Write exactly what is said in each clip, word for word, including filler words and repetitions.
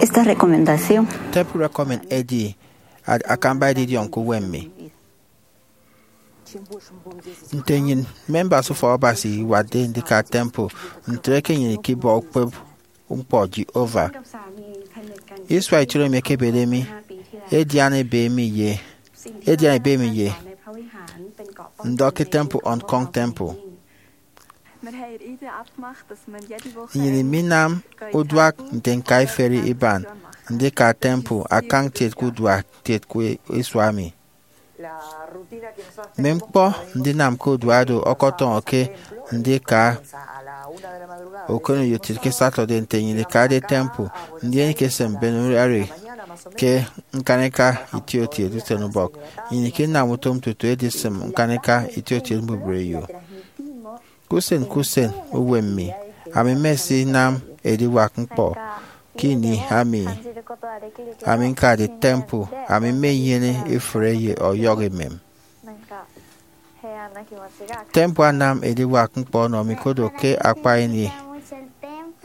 Esta recomendación. Temple recommend edi a- akamba edidiọñ ke uwem mi. Nte nnyịn members ufọk Abasi iwatde ndika temple, ntre ke nnyịn ikibọ ukpep ñkpọ Jehovah. Isua itiene emi ekebede mi, edian ebe mi ye edian ebe mi ye ndọ ke temple Hong Kong temple. Nnyịn iminam uduak nte ñka iferi iban ndika temple akañ kiet ke uduak kiet ke isua emi. Mme ñkpọ ndinam ke uduak do ọkọtọñọ ke ndika ukoneyo kiet ke Saturday nte nnyịn ikade temple, ndien ikese mben urari ke ñkaneka itiotiet usenubọk. Nnyịn ikinam utom tutu edisịm ñkaneka itiotiet mbubreyo. Ke usen ke usen uwem mi, ami mmesinam ediwak ñkpọ ke ini ami ami ñkade temple, ami mmenyene ifụre ye ọyọhọ emem. Temple anam ediwak ñkpọ ọnọ mi kodo ke akpa ini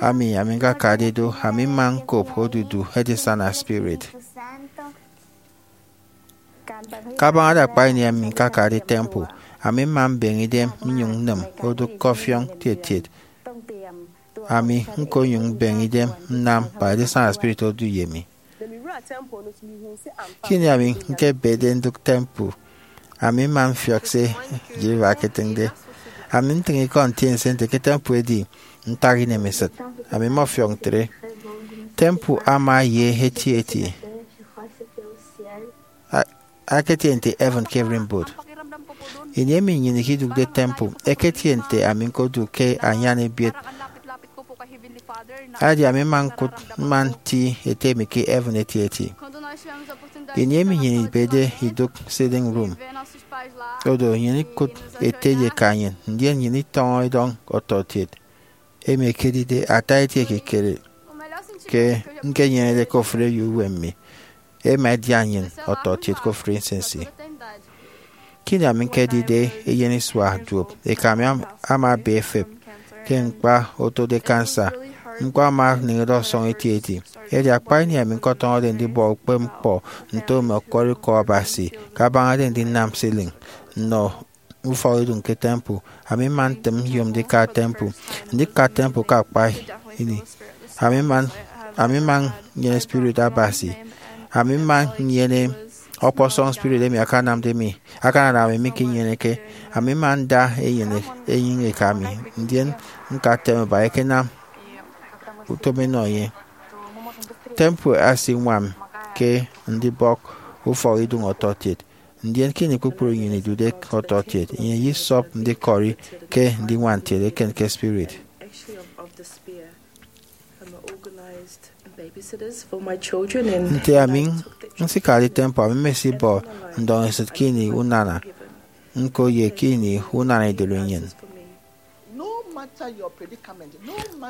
ami ami ñkakade do, ami mma ñkop odudu edisana spirit. Kabaña akpa ini ami ñkakade temple, ami mma mbeñe idem nnyụñ nnịm odụk ke ọfiọñ kiet kiet. Ami ñkonyụñ mbeñe idem nnam ba edisana spirit odu ye mi. Ke ini ami ñkebede ndụk temple, ami mma mfiọk se Jehovah eketịñde. Ami ntịñ ikọ ntiense nte ke temple edi ntak inemesịt. Ami mmọfiọk ntre. Temple ama ye etieti. A- aketie nte heaven ke ererimbot. Ini emi nnyịn ikidụkde temple, eketie nte ami ñkodụk ke anyan ebiet. Edi ami mma ñkụt mma nti Ete mi ke heaven etieti. Ini emi nnyịn ibede idụk sitting room, odo nnyịn ikụt Ete ye Eka nnyịn, ndien nnyịn itọñọ idọñ ọtọkiet. Emi ekedide ata eti ekikere ke ñkenyenede ke ofụri eyo uwem mi, ema edian nnyịn ọtọkiet ke ofụri nsinsi. Ke ini ami ñkedide eyen isua duop, eka mi am- ama ebe efep ke ñkpa otode kansa. Ñkpọ ama anịñede ọsọñ etieti. Edi akpa ini ami ñkọtọñọde ndibọ ukpep ñkpọ nto mme ọkwọrọ ikọ Abasi, kabañade ndinam ceiling nnọ ufọkidụñ ke temple, ami mma ntịm nyom ndika temple. Ndika temple ke akpa ini, ami mma ami mma nnyene spirit Abasi. Ami mma nnyene ọkpọsọñ spirit emi akanamde mi, akananam ami mikinyeneke. Ami mma nda enyịn enyịñ eka mi, ndien ñka temple ba ekenam utom enọ enye. Temple asiñwam ke ndibọk ufọkidụñ ọtọkiet, ndien ke ini kpukpru nnyịn idude ke ọtọkiet, nnyịn eyesop ndikọri ke ndiñwam ntiet eken ke spirit. Nte ami nsikade temple, ami mmesibọ ndọñesịt ke ini unana ñko ye ke ini unana idụri nnyịn.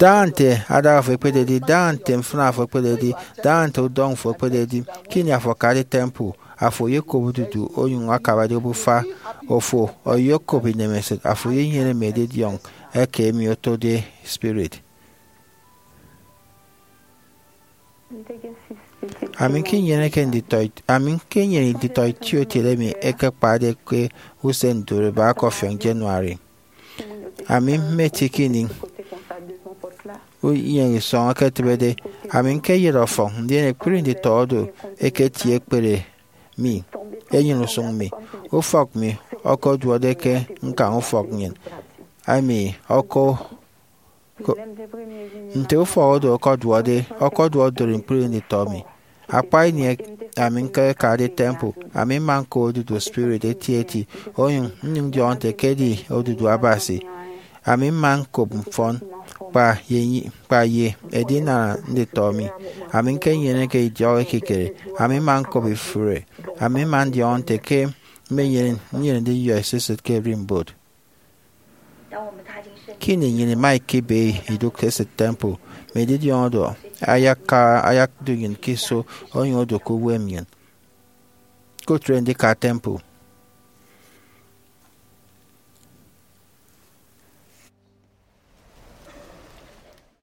Daña nte adaña fo ekpededi, daña nte mfịna fo ekpededi, daña nte udọñ fo ekpededi, ke ini afo akade temple, afo oyokop odudu onyụñ akabade obufa. Ofo oyokop inemesịt, afo eyenyene mme edidiọñ eke emi otode spirit. Ami ñkenyeneke nditọ, ami ñkenyene nditọ itiokiet emi ẹkekpade ke usen ndore bak ọfiọñ January. Ami mmeti ke ini unyịñisọñ eketịbede, ami ñkeyet ọfọñ, ndien ekpri nditọ oro ẹketie ẹkpere mi, enyịn usụñ mi. Ufọk mi ọkọduọde ke ñkañ ufọk nnyịn, ami ọkọ Ko- Nte ufọk oro ọkọduọde, ọkọduọ odori ñkpri nditọ mi. Akpa ini ami ñkekade temple, ami mma ñkop odudu spirit etieti, onyụñ nnyụñ ndiọñọ nte ke edi odudu Abasi. Ami mma ñkop mfọn kpa ye, kpa ye edinana nditọ mi. Ami ñkenyeneke idiọk ekikere, ami mma ñkop ifụre. Ami mma ndiọñọ nte ke mmenyene nnyịn ndiyọ esisịt ke ererimbot. Ke ini nnyịn ima ikebe idụk esịt temple, mme edidiọñ oro ayaka, ayakde nnyịn ke iso onyụñ odu ke uwem nnyịn. Kụtre ndika temple.